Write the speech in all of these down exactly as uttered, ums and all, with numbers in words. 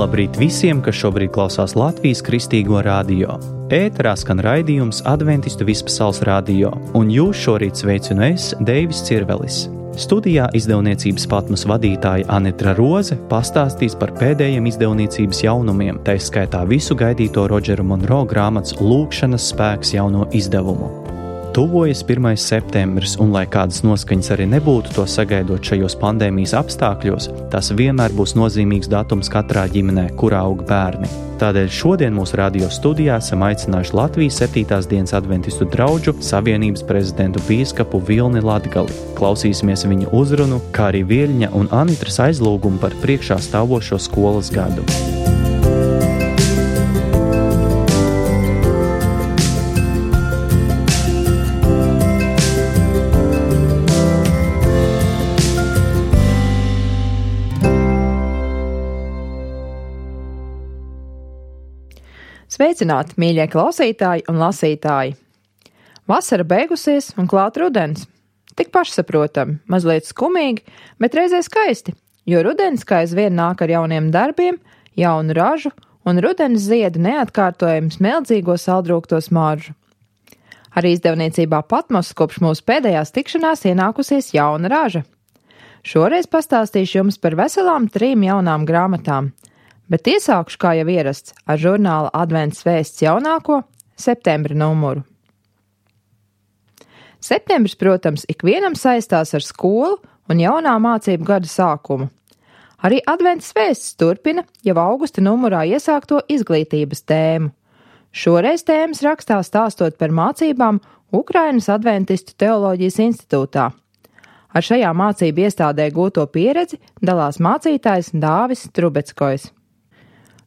Labrīt visiem, kas šobrīd klausās Latvijas Kristīgo radio. Ēterā skan raidījums Adventistu Vispasaules radio, un jūs šorīt sveicinu es, Deivis Cirvelis. Studijā izdevniecības Patmos vadītāja Anitra Roze pastāstīs par pēdējiem izdevniecības jaunumiem, tā skaitā visu gaidīto Rodžera Monroe grāmatas Lūkšanas spēks jauno izdevumu. Tuvojas pirmais septembris, un lai kādas noskaņas arī nebūtu to sagaidot šajos pandēmijas apstākļos, tas vienmēr būs nozīmīgs datums katrā ģimenē, kurā aug bērni. Tādēļ šodien mūsu radio studijā esam aicinājuši Latvijas septītās dienas adventistu draudžu savienības prezidentu bīskapu Vilni Latgali. Klausīsimies viņu uzrunu, kā arī Vieļņa un Anitras aizlūgumu par priekšā stāvošo skolas gadu. Sveicināti, mīļie klausītāji un lasītāji! Vasara beigusies un klāt rudens. Tik pašsaprotami, mazliet skumīgi, bet reizē skaisti, jo rudens kā aizvien nāk ar jauniem darbiem, jaunu ražu un rudens zieda neatkārtojumu smeldzīgo saldrūkto smaržu. Arī izdevniecībā Patmos kopš mūsu pēdējās tikšanās ienākusies jauna raža. Šoreiz pastāstīšu jums par veselām trim jaunām grāmatām. Bet iesākšu, kā jau ierasts, ar žurnāla Advents vēsts jaunāko septembra numuru. Septembris, protams, ikvienam saistās ar skolu un jaunā mācību gada sākumu. Arī Advents vēsts turpina jau augusta numurā iesākto izglītības tēmu. Šoreiz tēmas rakstā stāstot par mācībām Ukrainas Adventistu teoloģijas institūtā. Ar šajā mācību iestādē gūto pieredzi dalās mācītājs Dāvis Trubeckojs.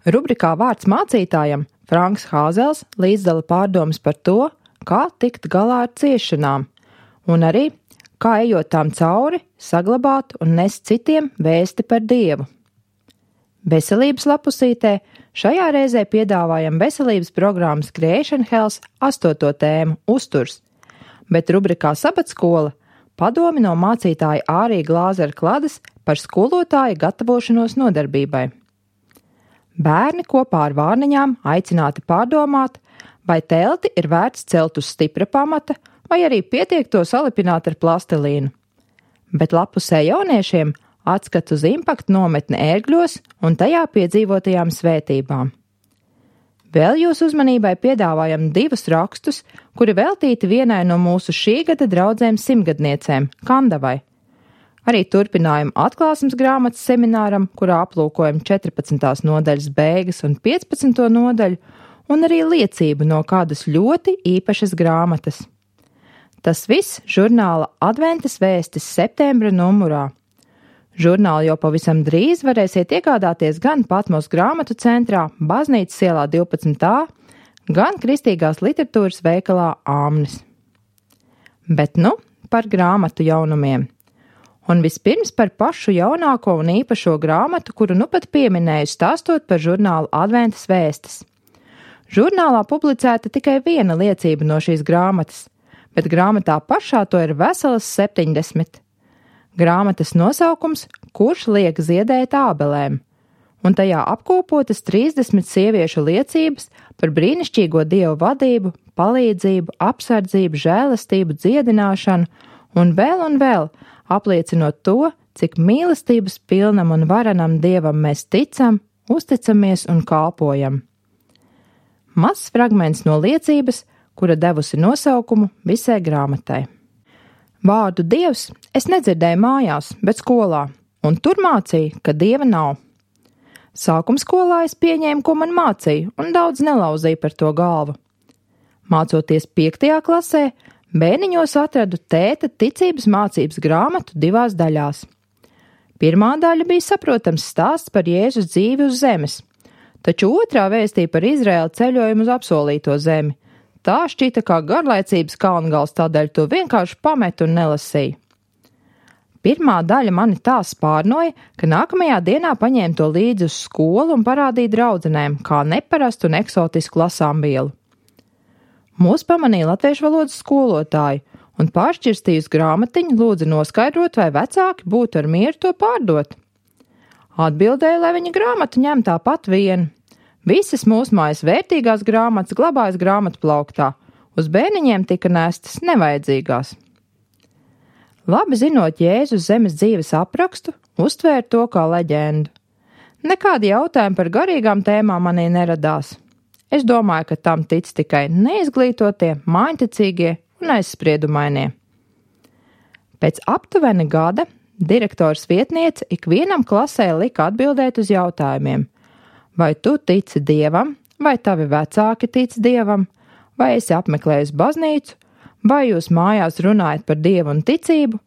Rubrikā Vārds mācītājam Franks Hāzels līdzdala pārdomas par to, kā tikt galā ar ciešanām, un arī, kā ejot tām cauri, saglabāt un nest citiem vēsti par Dievu. Veselības lapusītē šajā reizē piedāvājam veselības programmas Creation Health astoto tēmu uzturs, bet rubrikā Sabatskola padomi no mācītāja Ārija Glāzera Kladas par skolotāja gatavošanos nodarbībai. Bērni kopā ar vārniņām aicināti pārdomāt, vai telti ir vērts celt uz stipra pamata, vai arī pietiek to salipināt ar plastelīnu. Bet lapusē jauniešiem atskats uz impaktu nometni Ērgļos un tajā piedzīvotajām svētībām. Vēl jūsu uzmanībai piedāvājam divus rakstus, kuri veltīti vienai no mūsu šī gada draudzēm simtgadniecēm, Kandavai. Arī turpinājumu atklāsmes grāmatas semināram, kurā aplūkojam četrpadsmitās nodaļas beigas un piecpadsmito nodaļu, un arī liecību no kādas ļoti īpašas grāmatas. Tas viss žurnāla Adventas vēstis septembra numurā. Žurnālu jau pavisam drīz varēsiet iegādāties gan Patmos grāmatu centrā, Baznīcas ielā divpadsmit A, gan Kristīgās literatūras veikalā Āmnis. Bet nu par grāmatu jaunumiem. Un vispirms par pašu jaunāko un īpašo grāmatu, kuru nu pat pieminēju, stāstot par žurnālu Adventas vēstis. Žurnālā publicēta tikai viena liecība no šīs grāmatas, bet grāmatā pašā to ir veselas septiņdesmit. Grāmatas nosaukums Kurš liek ziedēt ābelēm, un tajā apkopotas trīsdesmit sieviešu liecības par brīnišķīgo Dievu vadību, palīdzību, apsardzību, žēlastību, dziedināšanu un vēl un vēl, apliecinot to, cik mīlestības pilnam un varenam Dievam mēs ticam, uzticamies un kalpojam. Mazs fragments no liecības, kura devusi nosaukumu visai grāmatai. Vārdu Dievs es nedzirdēju mājās, bet skolā, un tur mācīja, ka Dieva nav. Sākumskolā es pieņēmu, ko man mācīja, un daudz nelauzīju par to galvu. Mācoties piektajā klasē, bērniņos atradu tēta ticības mācības grāmatu divās daļās. Pirmā daļa bija saprotams stāsts par Jēzus dzīvi uz zemes, taču otrā vēstīja par Izraēlu ceļojumu uz apsolīto zemi. Tā šķita kā garlaicības kalngals, tādēļ to vienkārši pametu un nelasīju. Pirmā daļa mani tā spārnoja, ka nākamajā dienā paņēmu to līdzi uz skolu un parādīju draudzenēm, kā neparastu un eksotisku lasāmvielu. Mūs pamanīja latviešu valodas skolotāji un pāršķirstījusi grāmatiņu lūdza noskaidrot, vai vecāki būtu ar mieru to pārdot. Atbildēja, lai viņa grāmatu ņem tāpat vien. Visas mūsu mājas vērtīgās grāmatas glabājas grāmatplauktā, uz bērniņiem tika nestas nevajadzīgās. Labi zinot Jēzus zemes dzīves aprakstu, uztvēra to kā leģendu. Nekādi jautājumi par garīgām tēmām manī neradās. Es domāju, ka tam tic tikai neizglītotie, māņticīgie un aizspriedumainie. Pēc aptuveni gada direktors vietniece ikvienam klasē lika atbildēt uz jautājumiem. Vai tu tici Dievam, vai tavi vecāki tic Dievam, vai esi apmeklējis baznīcu, vai jūs mājās runājat par Dievu un ticību,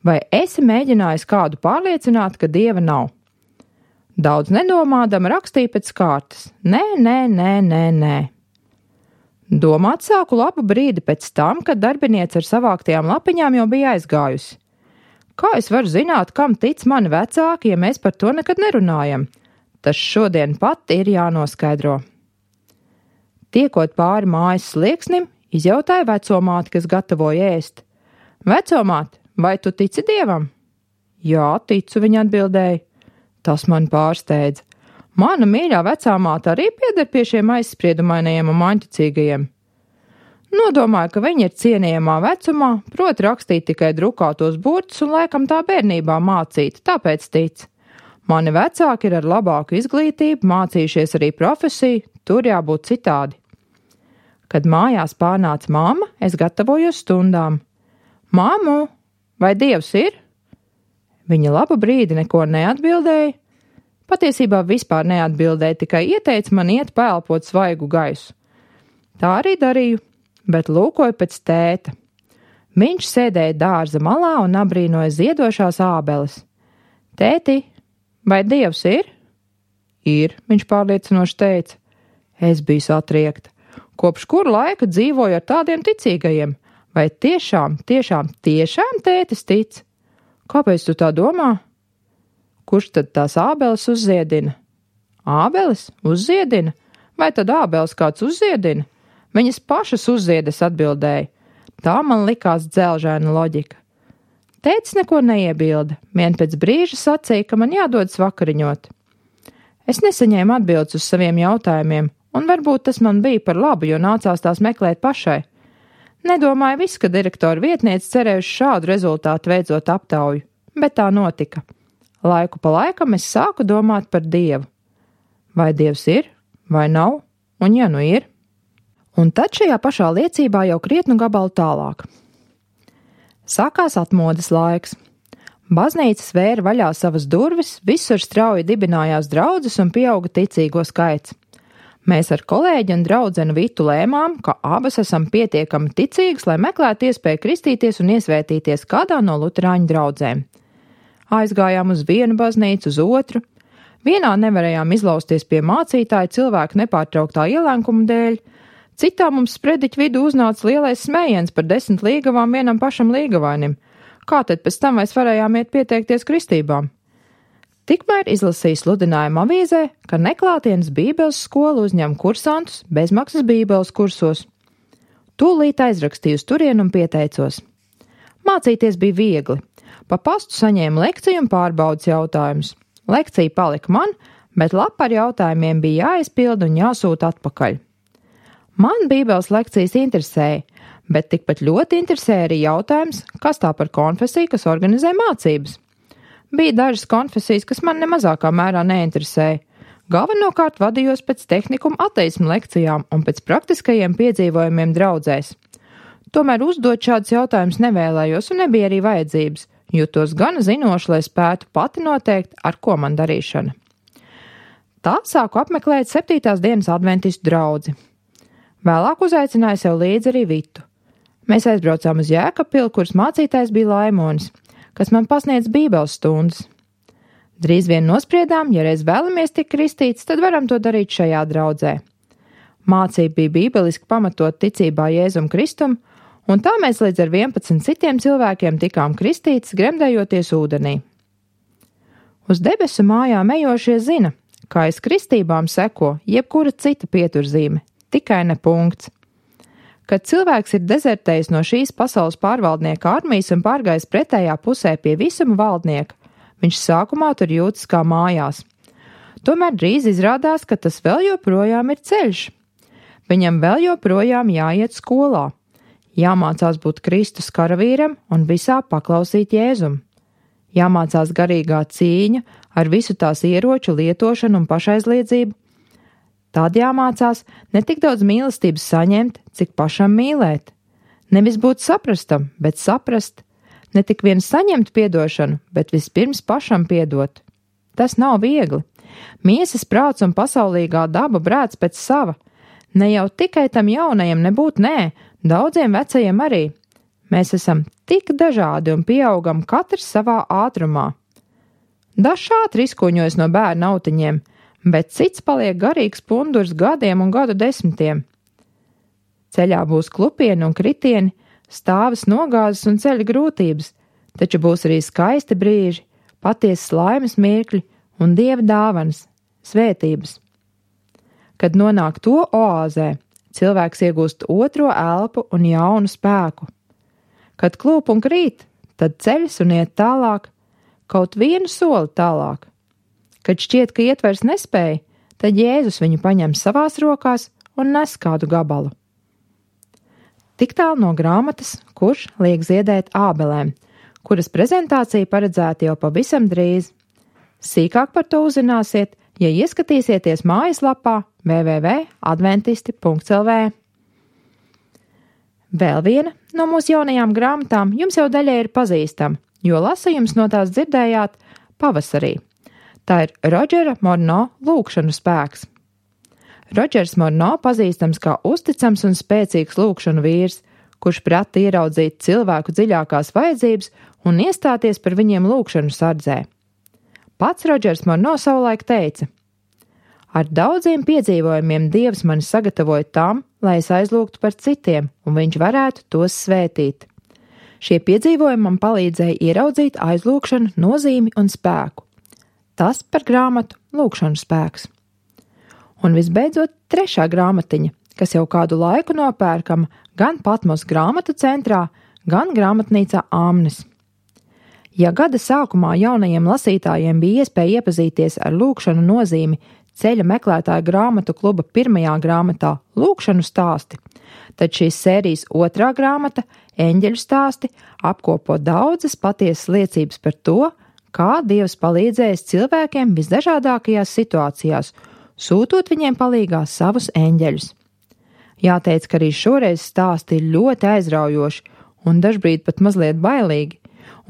vai esi mēģinājis kādu pārliecināt, ka Dieva nav. Daudz nedomādama rakstīja pēc kārtas. Nē, nē, nē, nē, nē. Domāt sāku labu brīdi pēc tam, kad darbiniece ar savāktajām lapiņām jau bija aizgājusi. Kā es varu zināt, kam tic mani vecāki, ja mēs par to nekad nerunājam? Tas šodien pat ir jānoskaidro. Tiekot pāri mājas slieksnim, izjautāja vecomāti, kas gatavoja ēst. Vecomāti, vai tu tici Dievam? Jā, ticu, viņa atbildēja. Tas man pārsteidza. Mana mīļā vecāmāte arī pieder pie šiem aizspriedumainajiem un māņticīgajiem. Nodomāju, ka viņa ir cienījamā vecumā, proti rakstīt tikai drukātos burtus un laikam tā bērnībā mācīta, tāpēc tic. Mani vecāki ir ar labāku izglītību, mācījušies arī profesiju, tur jābūt citādi. Kad mājās pārnāca mamma, es gatavojos stundām. Māmu, vai Dievs ir? Viņa labu brīdi neko neatbildēja. Patiesībā vispār neatbildēja, tikai ieteica man iet paelpot svaigu gaisu. Tā arī darīju, bet lūkoju pēc tēta. Viņš sēdēja dārza malā un abrīnoja ziedošās ābeles. Tēti, vai Dievs ir? Ir, viņš pārliecinoši teica. Es biju satriekta. Kopš kuru laika dzīvoju ar tādiem ticīgajiem? Vai tiešām, tiešām, tiešām tētis tic? Kāpēc tu tā domā? Kurš tad tās ābeles uzziedina? Ābeles uzziedina? Vai tad ābeles kāds uzziedina? Viņas pašas uzziedas, atbildēja. Tā man likās dzelžaina loģika. Tētis neko neiebilda, vien pēc brīža sacīja, ka man jādodas vakariņot. Es nesaņēmu atbildes uz saviem jautājumiem, un varbūt tas man bija par labu, jo nācās tās meklēt pašai. Nedomāju viss, ka direktora vietniece cerējuši šādu rezultātu veicot aptauju, bet tā notika. Laiku pa laikam es sāku domāt par Dievu. Vai Dievs ir, vai nav, un ja nu ir? Un tad šajā pašā liecībā jau krietnu gabalu tālāk. Sākās atmodas laiks. Baznīcas vēra vaļā savas durvis, visur strauji dibinājās draudzes un pieauga ticīgo skaits. Mēs ar kolēģi un draudzeni Vitu lēmām, ka abas esam pietiekami ticīgas, lai meklētu iespēju kristīties un iesvētīties kādā no luterāņu draudzēm. Aizgājām uz vienu baznīcu, uz otru. Vienā nevarējām izlausties pie mācītāja cilvēku nepārtrauktā ielēkuma dēļ, citā mums sprediķu vidū uznāca lielais smējiens par desmit līgavām vienam pašam līgavainim. Kā tad pēc tam mēs varējām iet pieteikties kristībām? Tikmēr izlasīja sludinājumu avīzē, ka neklātienes bībeles skola uzņem kursantus bezmaksas bībeles kursos. Tūlīt aizrakstīju uz turienu un pieteicos. Mācīties bija viegli. Pa pastu saņēmu lekciju un pārbaudas jautājumus. Lekcija palika man, bet lapa ar jautājumiem bija jāizpilda un jāsūta atpakaļ. Man bībeles lekcijas interesēja, bet tikpat ļoti interesēja arī jautājums, kas tā par konfesiju, kas organizē mācības. Bija dažas konfesijas, kas man nemazākā mērā neinteresēja. Galvenokārt vadījos pēc tehnikuma ateismu lekcijām un pēc praktiskajiem piedzīvojumiem draudzēs. Tomēr uzdot šādus jautājumus nevēlējos un nebija arī vajadzības, jutos gana zinoši, lai spētu pati noteikt, ar ko man darīšana. Tā sāku apmeklēt septītās dienas adventistu draudzi. Vēlāk uzaicināju sev līdzi arī Vitu. Mēs aizbraucām uz Jēkabpili, kuras mācītājs bija Laimonis, kas man pasniedz bībeles stundas. Drīz vien nospriedām, ja reiz vēlamies tikt kristīts, tad varam to darīt šajā draudzē. Mācība bija bībeliski pamatot ticībā Jēzum Kristum, un tā mēs līdz ar vienpadsmit citiem cilvēkiem tikām kristīts, gremdējoties ūdenī. Uz debesu mājām ejošie zina, kā aiz kristībām seko jebkura cita pieturzīme, tikai ne punkts. Kad cilvēks ir dezertējis no šīs pasaules pārvaldnieka armijas un pārgājis pretējā pusē pie visuma valdnieka, Viņš sākumā tur jūtas kā mājās. Tomēr drīz izrādās, ka tas vēl joprojām ir ceļš. Viņam vēl joprojām jāiet skolā, jāmācās būt Kristus karavīram un visā paklausīt Jēzum. Jāmācās garīgā cīņa ar visu tās ieroču lietošanu un pašaizliedzību. Tād jāmācās ne tik daudz mīlestības saņemt, cik pašam mīlēt. Nevis būt saprastam, bet saprast. Ne tik vien saņemt piedošanu, bet vispirms pašam piedot. Tas nav viegli. Miesas prāts un pasaulīgā daba brēc pēc sava. Ne jau tikai tam jaunajam nebūt nē, daudziem vecajiem arī. Mēs esam tik dažādi un pieaugam katrs savā ātrumā. Dažs ātri izkuņojas no bērna autiņiem, bet cits paliek garīgs pundurs gadiem un gadu desmitiem. Ceļā būs klupieni un kritieni, stāvas nogāzes un ceļa grūtības, taču būs arī skaisti brīži, patiesas laimes mirkļi un Dieva dāvanas, svētības. Kad nonāk to oāzē, cilvēks iegūst otro elpu un jaunu spēku. Kad klūp un krīt, tad ceļas un iet tālāk, kaut vienu soli tālāk. Kad šķiet, ka iet vairs nespēja, tad Jēzus viņu paņem savās rokās un nes kādu gabalu. Tik tālu no grāmatas, Kurš liek ziedēt ābelēm, kuras prezentācija paredzēta jau pavisam drīz. Sīkāk par to uzzināsiet, ja ieskatīsieties mājaslapā w w w punkt adventisti punkt l v. Vēl viena no mūsu jaunajām grāmatām jums jau daļai ir pazīstama, jo lasījums no tās dzirdējāt pavasarī. Tā ir Rodžera Morno lūkšanu spēks. Rodžers Morno pazīstams kā uzticams un spēcīgs lūkšanu vīrs, kurš prata ieraudzīt cilvēku dziļākās vajadzības un iestāties par viņiem lūkšanu sardzē. Pats Rodžers Morno savulaik teica: ar daudziem piedzīvojumiem Dievs mani sagatavoja tam, lai es aizlūgtu par citiem, un viņš varētu tos svētīt. Šie piedzīvojumi man palīdzēja ieraudzīt aizlūgšanu nozīmi un spēku. Tas par grāmatu Lūkšanu spēks. Un visbeidzot, trešā grāmatiņa, kas jau kādu laiku nopērkama gan Patmos grāmatu centrā, gan grāmatnīcā Āmnes. Ja gada sākumā jaunajiem lasītājiem bija iespēja iepazīties ar lūkšanu nozīmi ceļa meklētāju grāmatu kluba pirmajā grāmatā Lūkšanu stāsti, tad šīs sērijas otrā grāmata Eņģeļu stāsti apkopo daudzas patiesas liecības par to, kā Dievs palīdzējis cilvēkiem visdažādākajās situācijās, sūtot viņiem palīgā savus eņģeļus. Jāteic, ka arī šoreiz stāsti ir ļoti aizraujoši un dažbrīd pat mazliet bailīgi,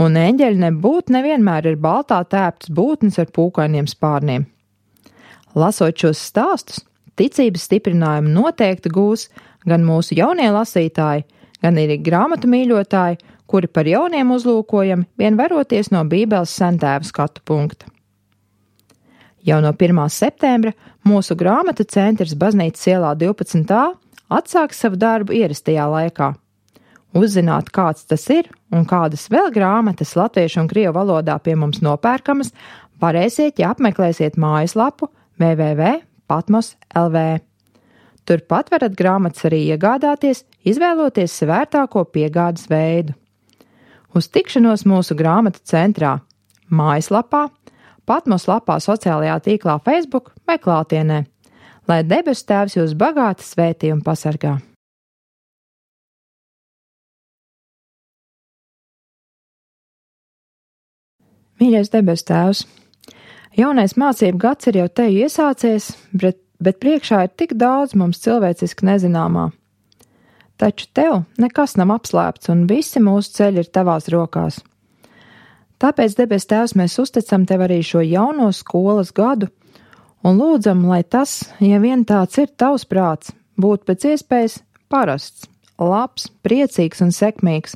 un eņģeļi nebūt nevienmēr ir baltā tēptas būtnes ar pūkainiem spārniem. Lasot šos stāstus, ticības stiprinājumu noteikti gūs gan mūsu jaunie lasītāji, gan arī grāmatu mīļotāji, kuri par jauniem uzlūkojami vien veroties no Bībeles sentēva skatu punkta. Jau no pirmā septembra mūsu grāmatu centrs Baznīcas ielā divpadsmit A atsāks savu darbu ierastajā laikā. Uzzināt, kāds tas ir un kādas vēl grāmatas latviešu un krievu valodā pie mums nopērkamas, varēsiet, ja apmeklēsiet mājaslapu w w w punkt patmos punkt l v. Turpat varat grāmatas arī iegādāties, izvēloties svērtāko piegādes veidu. Uz tikšanos mūsu grāmatu centrā, mājaslapā, Patmos lapā sociālajā tīklā Facebook vai klātienē, lai debesu Tēvs jūs bagāti svētī un pasargā. Mīļais debesu Tēvs, jaunais mācību gads ir jau te iesācies, bet, bet priekšā ir tik daudz mums cilvēciski nezināmā. Taču tev nekas nav apslēpts un visi mūsu ceļi ir tavās rokās. Tāpēc, debes Tēvs, mēs uzticam tev arī šo jauno skolas gadu un lūdzam, lai tas, ja vien tāds ir tavs prāts, būtu pēc iespējas parasts, labs, priecīgs un sekmīgs,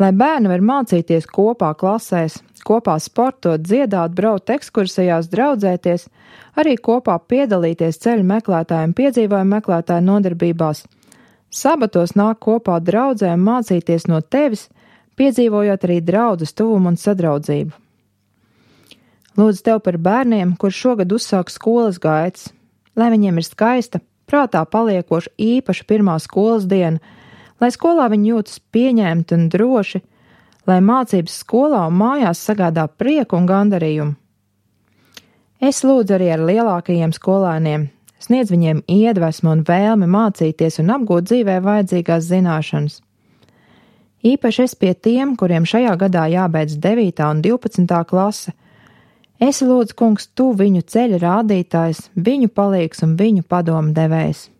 lai bērni var mācīties kopā klasēs, kopā sportot, dziedāt, braukt ekskursijās, draudzēties, arī kopā piedalīties ceļu meklētāju un piedzīvojumu meklētāju nodarbībās, sabatos nāk kopā draudzē un mācīties no tevis, piedzīvojot arī draudzes tuvumu un sadraudzību. Lūdzu tev par bērniem, kur šogad uzsāk skolas gaitas, lai viņiem ir skaista, prātā paliekoša īpaša pirmā skolas diena, lai skolā viņi jūtas pieņemti un droši, lai mācības skolā un mājās sagādā prieku un gandarījumu. Es lūdzu arī ar lielākajiem skolēniem, sniedz viņiem iedvesmu un vēlmi mācīties un apgūt dzīvē vajadzīgās zināšanas. Īpaši es pie tiem, kuriem šajā gadā jābeidz devītā un divpadsmitā klase. Es lūdzu, kungs, tu viņu ceļa rādītājs, viņu palīgs un viņu padomu devējs.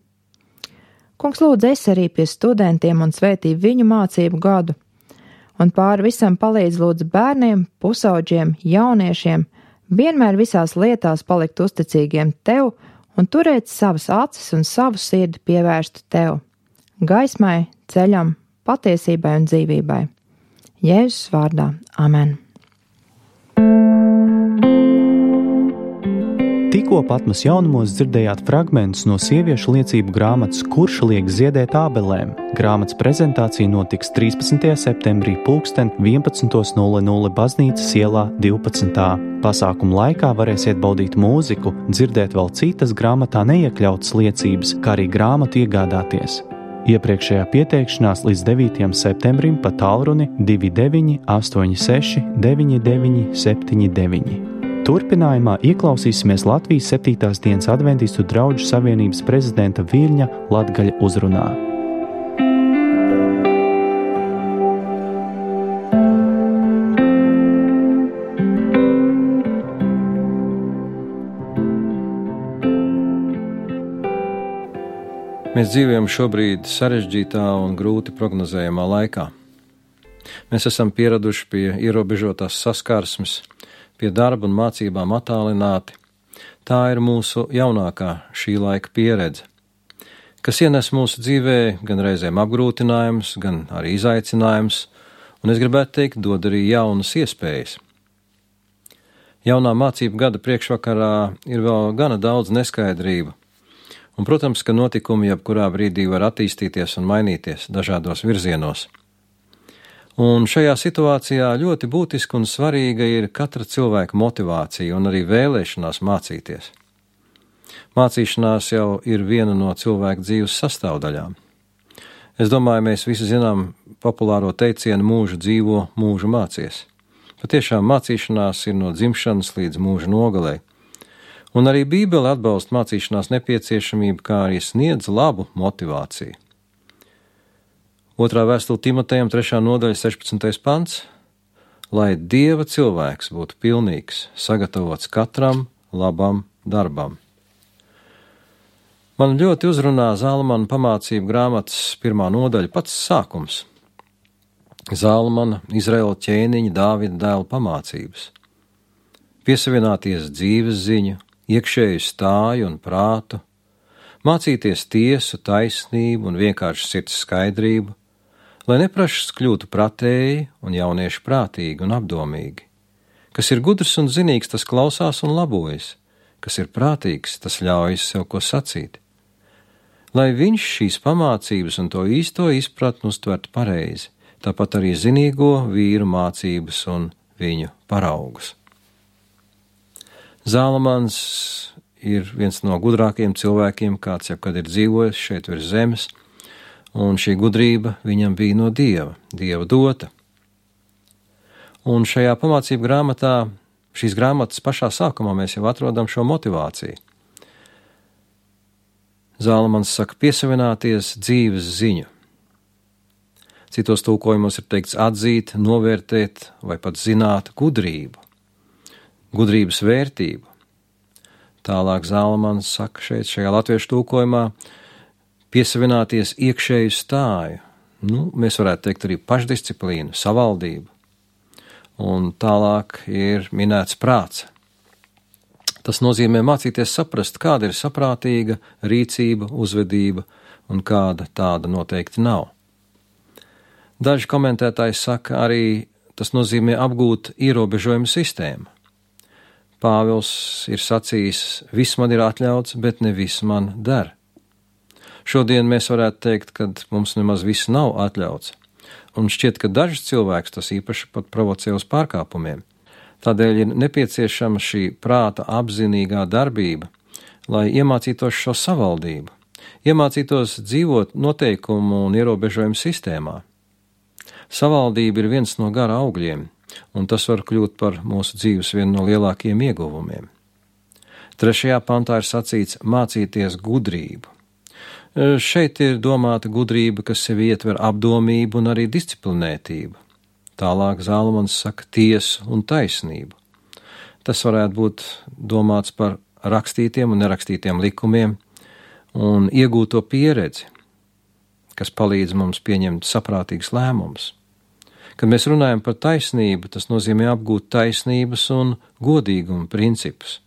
Kungs, lūdzu, es arī pie studentiem un svētī viņu mācību gadu. Un pāri visam palīdz lūdzu bērniem, pusauģiem, jauniešiem, vienmēr visās lietās palikt uzticīgiem tev un turēt savas acis un savu sirdi pievērstu tev, gaismai, ceļam, patiesībai un dzīvībai. Jēzus vārdā. Amen. Tikko Patmas jaunumos dzirdējāt fragmentus no sieviešu liecību grāmatas Kurš liek ziedēt ābelēm. Grāmatas prezentācija notiks trīspadsmitajā septembrī pulksten vienpadsmit nulle nulle baznīcas ielā divpadsmitā. Pasākuma laikā varēsiet baudīt mūziku, dzirdēt vēl citas grāmatā neiekļautas liecības, kā arī grāmatu iegādāties. Iepriekšējā pieteikšanās līdz devītajam septembrim pa tālruni divi deviņi astoņi seši deviņi deviņi septiņi deviņi. Turpinājumā ieklausīsimies Latvijas septītās dienas adventistu draugu savienības prezidenta Viļņa latgaļa uzrunā. Mēs dzīvojam šobrīd sarežģītā un grūti prognozējamā laikā. Mēs esam pieraduši pie ierobežotās saskarsmes, pie darba un mācībām attālināti. Tā ir mūsu jaunākā šī laika pieredze, kas ienes mūsu dzīvē gan reizēm apgrūtinājums, gan arī izaicinājums, un es gribētu teikt, dod arī jaunas iespējas. Jaunā mācību gada priekšvakarā ir vēl gana daudz neskaidrību, un, protams, ka notikumi jebkurā brīdī var attīstīties un mainīties dažādos virzienos. Un šajā situācijā ļoti būtiska un svarīga ir katra cilvēka motivācija un arī vēlēšanās mācīties. Mācīšanās jau ir viena no cilvēka dzīves sastāvdaļām. Es domāju, mēs visi zinām populāro teicienu mūžu dzīvo, mūžu mācies. Patiešām mācīšanās ir no dzimšanas līdz mūža nogalei. Un arī Bībele atbalsta mācīšanās nepieciešamību, kā arī sniedz labu motivāciju. Otrā vēstule Timotejam, trešā nodaļa, sešpadsmitais pants, lai Dieva cilvēks būtu pilnīgs, sagatavots katram labam darbam. Man ļoti uzrunā Zālamana pamācību grāmatas pirmā nodaļa pats sākums. Zālamana, Izraēla ķēniņa, Dāvida dēla pamācības. Piesavināties dzīves ziņu, iekšēju stāju un prātu, mācīties tiesu, taisnību un vienkārši sirds skaidrību, lai neprašas kļūtu pratēji un jaunieši prātīgi un apdomīgi. Kas ir gudrs un zinīgs, tas klausās un labojas, kas ir prātīgs, tas ļaujas sev ko sacīt. Lai viņš šīs pamācības un to īsto izpratni uztvertu pareizi, tāpat arī zinīgo vīru mācības un viņu paraugus. Zālamans ir viens no gudrākajiem cilvēkiem, kāds jebkad ir dzīvojis šeit virs zemes, un šī gudrība viņam bija no Dieva, Dieva dota. Un šajā pamācību grāmatā, šīs grāmatas pašā sākumā mēs jau atrodam šo motivāciju. Zālamans saka piesavināties dzīves ziņu. Citos tulkojumos ir teikts atzīt, novērtēt vai pat zināt gudrību, gudrības vērtību. Tālāk Zālamans saka šeit šajā latviešu tulkojumā piesavināties iekšēju stāju, nu, mēs varētu teikt arī pašdisciplīnu, savaldību. Un tālāk ir minēts prāts. Tas nozīmē mācīties saprast, kāda ir saprātīga rīcība, uzvedība un kāda tāda noteikti nav. Daži komentētāji saka arī, tas nozīmē apgūt ierobežojumu sistēmu. Pāvils ir sacījis, viss man ir atļauts, bet ne viss man der. Šodien mēs varētu teikt, ka mums nemaz viss nav atļauts, un šķiet, ka dažs cilvēks tas īpaši pat provocē uz pārkāpumiem. Tādēļ ir nepieciešama šī prāta apzinīgā darbība, lai iemācītos šo savaldību, iemācītos dzīvot noteikumu un ierobežojumu sistēmā. Savaldība ir viens no gara augļiem, un tas var kļūt par mūsu dzīves vienu no lielākajiem ieguvumiem. Trešajā pantā ir sacīts mācīties gudrību. Šeit ir domāta gudrība, kas sevi ietver apdomību un arī disciplinētību. Tālāk Zālamans saka tiesu un taisnību. Tas varētu būt domāts par rakstītiem un nerakstītiem likumiem un iegūto pieredzi, kas palīdz mums pieņemt saprātīgus lēmumus. Kad mēs runājam par taisnību, tas nozīmē apgūt taisnības un godīguma principus.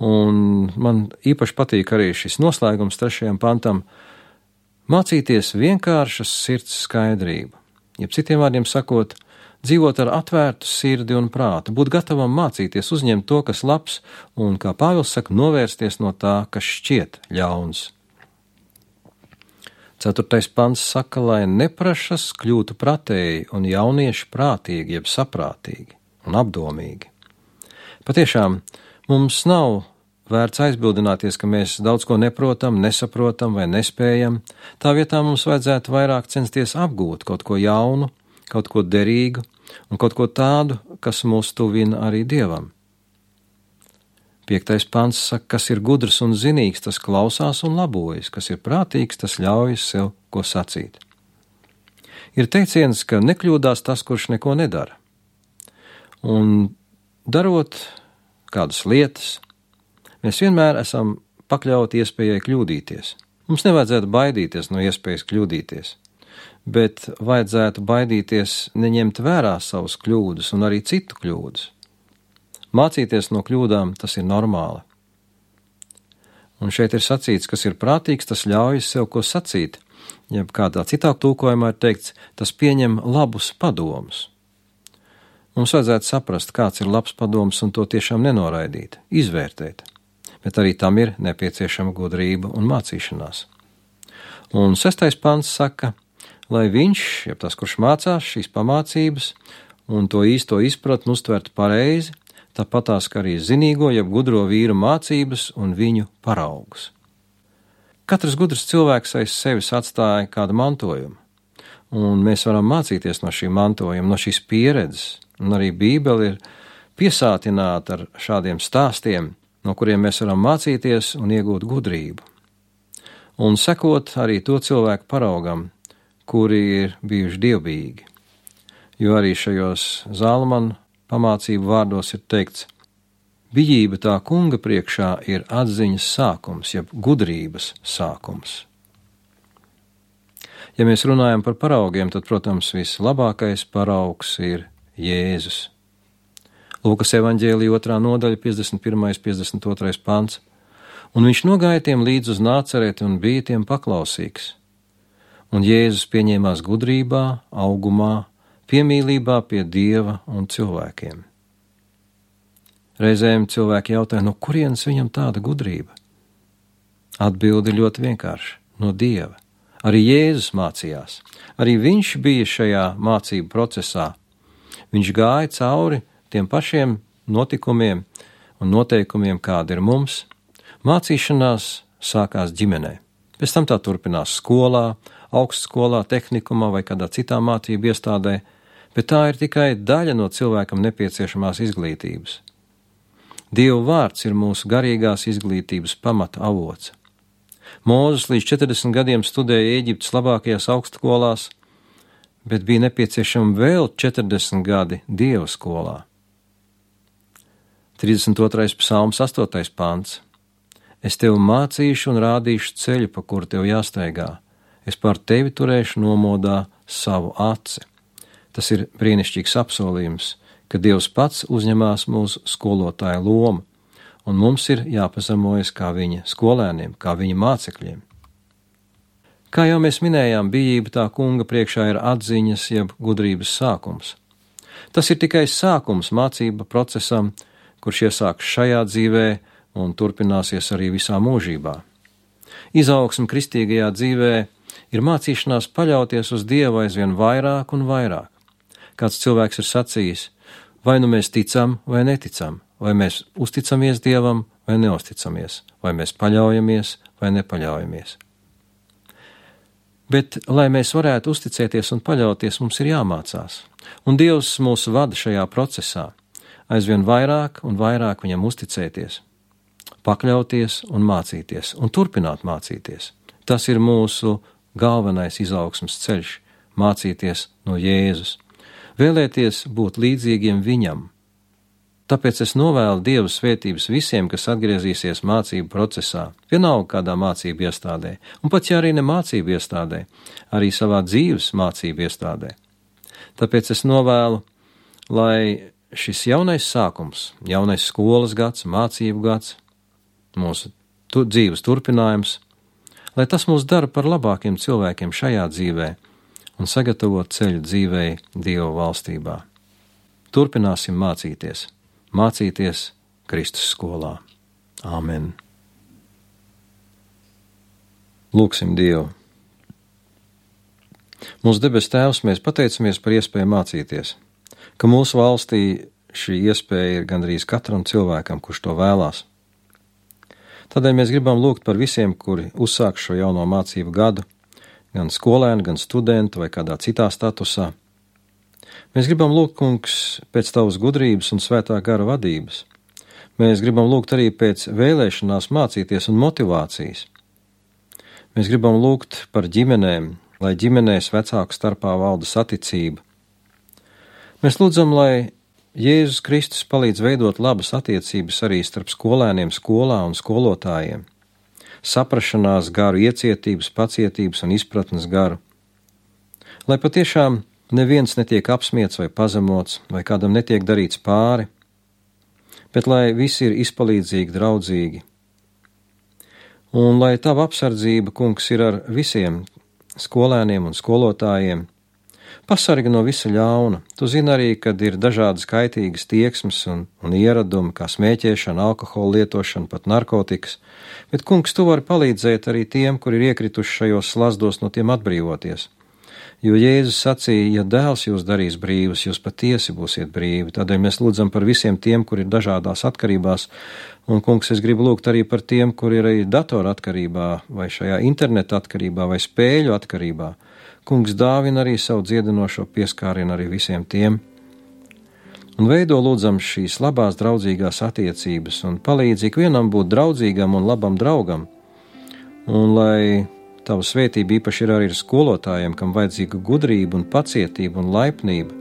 Un man īpaši patīk arī šis noslēgums trešajam pantam – mācīties vienkāršas sirds skaidrību. Jeb citiem vārdiem sakot, dzīvot ar atvērtu sirdi un prātu, būt gatavam mācīties, uzņemt to, kas labs, un, kā Pāvils saka, novērsties no tā, kas šķiet ļauns. Ceturtais pants saka, lai neprašas kļūtu pratēji un jaunieši prātīgi, jeb saprātīgi un apdomīgi. Patiešām, mums nav vērts aizbildināties, ka mēs daudz ko neprotam, nesaprotam vai nespējam. Tā vietā mums vajadzētu vairāk censties apgūt kaut ko jaunu, kaut ko derīgu un kaut ko tādu, kas mūs tuvina arī Dievam. Piektais pants saka, kas ir gudrs un zinīgs, tas klausās un labojas, kas ir prātīgs, tas ļaujas sev ko sacīt. Ir teiciens, ka nekļūdās tas, kurš neko nedara. Un darot kādas lietas, mēs vienmēr esam pakļauti iespējai kļūdīties. Mums nevajadzētu baidīties no iespējas kļūdīties, bet vajadzētu baidīties neņemt vērā savus kļūdas un arī citu kļūdas. Mācīties no kļūdām, tas ir normāli. Un šeit ir sacīts, kas ir prātīgs, tas ļaujas sev ko sacīt, jeb kādā citā tulkojumā ir teikts, tas pieņem labus padomus. Mums vajadzētu saprast, kāds ir labs padoms un to tiešām nenoraidīt, izvērtēt, bet arī tam ir nepieciešama gudrība un mācīšanās. Un sestais pants saka, lai viņš, jeb tas, kurš mācās šīs pamācības un to īsto izpratni uztvertu pareizi, tāpatās, ka arī zinīgo, jeb gudro vīru mācības un viņu paraugus. Katrs gudrs cilvēks aiz sevis atstāja kādu mantojumu, un mēs varam mācīties no šī mantojuma, no šīs pieredzes, un arī Bībele ir piesātināta ar šādiem stāstiem, no kuriem mēs varam mācīties un iegūt gudrību. Un sekot arī to cilvēku paraugam, kuri ir bijuši dievbijīgi, jo arī šajos Zālamana pamācību vārdos ir teikts, bijība tā kunga priekšā ir atziņas sākums, jeb gudrības sākums. Ja mēs runājam par paraugiem, tad, protams, vislabākais paraugs ir Jēzus. Lūkas evaņģēlija otrā nodaļa, piecdesmit pirmais, piecdesmit otrais pants. Un viņš nogāja tiem līdz uz Nācereti un bija tiem paklausīgs. Un Jēzus pieņēmās gudrībā, augumā, piemīlībā pie Dieva un cilvēkiem. Reizēm cilvēki jautāja, no kurienes viņam tāda gudrība? Atbilde ļoti vienkārši – no Dieva. Arī Jēzus mācījās. Arī viņš bija šajā mācību procesā. Viņš gāja cauri tiem pašiem notikumiem un noteikumiem, kādi ir mums. Mācīšanās sākās ģimenē. Pēc tam tā turpinās skolā, augstskolā, tehnikumā vai kādā citā mācību iestādē, bet tā ir tikai daļa no cilvēkam nepieciešamās izglītības. Dieva vārds ir mūsu garīgās izglītības pamata avots. Mūzes līdz četrdesmit gadiem studēja Ēģiptes labākajās augstskolās, bet bija nepieciešami vēl četrdesmit gadi Dieva skolā. trīsdesmit otrais psalms, astotais pants. Es tev mācīšu un rādīšu ceļu, pa kuru tev jāstaigā. Es pār tevi turēšu nomodā savu aci. Tas ir brīnišķīgs apsolījums, ka Dievs pats uzņemās mūsu skolotāja lomu, un mums ir jāpazemojas kā viņa skolēniem, kā viņa mācekļiem. Kā jau mēs minējām, bijība tā kunga priekšā ir atziņas jeb gudrības sākums. Tas ir tikai sākums mācība procesam, kurš iesāks šajā dzīvē un turpināsies arī visā mūžībā. Izaugsme kristīgajā dzīvē ir mācīšanās paļauties uz Dievu aizvien vairāk un vairāk. Kāds cilvēks ir sacījis, vai nu mēs ticam vai neticam, vai mēs uzticamies Dievam vai neuzticamies, vai mēs paļaujamies vai nepaļaujamies. Bet, lai mēs varētu uzticēties un paļauties, mums ir jāmācās. Un Dievs mūs vada šajā procesā, aizvien vairāk un vairāk viņam uzticēties, pakļauties un mācīties, un turpināt mācīties. Tas ir mūsu galvenais izaugsmes ceļš – mācīties no Jēzus, vēlēties būt līdzīgiem viņam. Tāpēc es novēlu Dievu svētības visiem, kas atgriezīsies mācību procesā, vienalga kādā mācību iestādē, un pat ja arī ne mācību iestādē, arī savā dzīves mācību iestādē. Tāpēc es novēlu, lai šis jaunais sākums, jaunais skolas gads, mācību gads, mūsu tu, dzīves turpinājums, lai tas mūs dara par labākiem cilvēkiem šajā dzīvē un sagatavot ceļu dzīvei Dieva valstībā. Turpināsim mācīties, mācīties Kristus skolā. Āmen. Lūksim Dievu. Mūsu debes Tēvs, mēs pateicamies par iespēju mācīties, ka mūsu valstī šī iespēja ir gandrīz katram cilvēkam, kurš to vēlās. Tādēļ mēs gribam lūgt par visiem, kuri uzsāk šo jauno mācību gadu, gan skolēni, gan studenti vai kādā citā statusā. Mēs gribam lūgt, Kungs, pēc Tavas gudrības un svētā gara vadības. Mēs gribam lūgt arī pēc vēlēšanās mācīties un motivācijas. Mēs gribam lūgt par ģimenēm, lai ģimenēs vecāku starpā valda saticība. Mēs lūdzam, lai Jēzus Kristus palīdz veidot labas attiecības arī starp skolēniem skolā un skolotājiem, saprašanās garu, iecietības, pacietības un izpratnes garu. Lai patiešām neviens netiek apsmiets vai pazemots, vai kādam netiek darīts pāri, bet lai visi ir izpalīdzīgi, draudzīgi. Un lai Tava apsardzība, Kungs, ir ar visiem skolēniem un skolotājiem, pasargi no visa ļauna. Tu zini arī, kad ir dažādas kaitīgas tieksmes un, un ieradumi, kā smēķēšana, alkohola lietošana, pat narkotikas, bet, Kungs, Tu vari palīdzēt arī tiem, kuri ir iekrituši šajos slazdos, no tiem atbrīvoties. Jo Jēzus sacīja, ja dēls jūs darīs brīvus, jūs patiesi būsiet brīvi. Tādēļ mēs lūdzam par visiem tiem, kuri ir dažādās atkarībās, un, Kungs, es gribu lūgt arī par tiem, kuri ir arī datora atkarībā, vai šajā interneta atkarībā, vai spēļu atkarībā. Kungs, dāvina arī savu dziedinošo pieskārienu arī visiem tiem, un veido lūdzam šīs labās draudzīgās attiecības, un palīdz ikvienam būt draudzīgam un labam draugam, un lai Tava svētība īpaši ir arī ar skolotājiem, kam vajadzīga gudrība un pacietība un laipnība.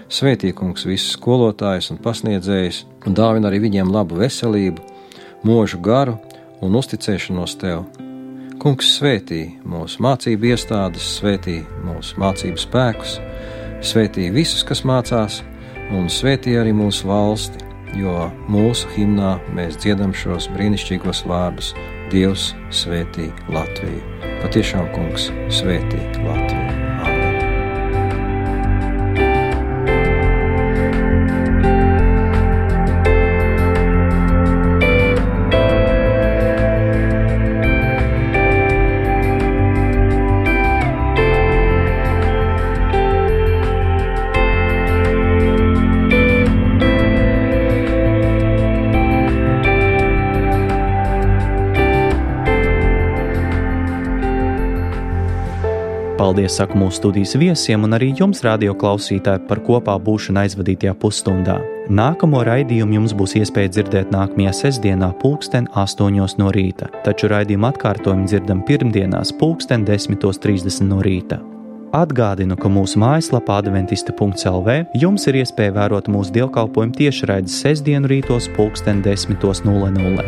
Svētī, Kungs, visus skolotājus un pasniedzējus, un dāvina arī viņiem labu veselību, mūžu garu un uzticēšanos Tev. Kungs, svētī mūsu mācību iestādes, svētī mūsu mācību spēkus, svētī visus, kas mācās, un svētī arī mūsu valsti, jo mūsu himnā mēs dziedam šos brīnišķīgos vārdus: Dievs svētī Latviju. Patiešām, Kungs, svētī Latviju. Paldies, saku mūsu studijas viesiem un arī jums, radio klausītāji, par kopā būšanu aizvadītajā pusstundā. Nākamo raidījumu jums būs iespēja dzirdēt nākamajā sestdienā pulksten astoņos no rīta, taču raidījumu atkārtojumu dzirdam pirmdienās pulksten desmitos trīsdesmit no rīta. Atgādinu, ka mūsu mājaslapā adventista punkts el vē jums ir iespēja vērot mūsu dievkalpojumu tiešraides sestdienu rītos pulksten desmitos nulle nulle.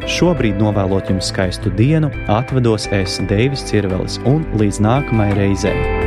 Šobrīd novēlot jums skaistu dienu, atvedos es, Deivis Cirvelis, un līdz nākamai reizei.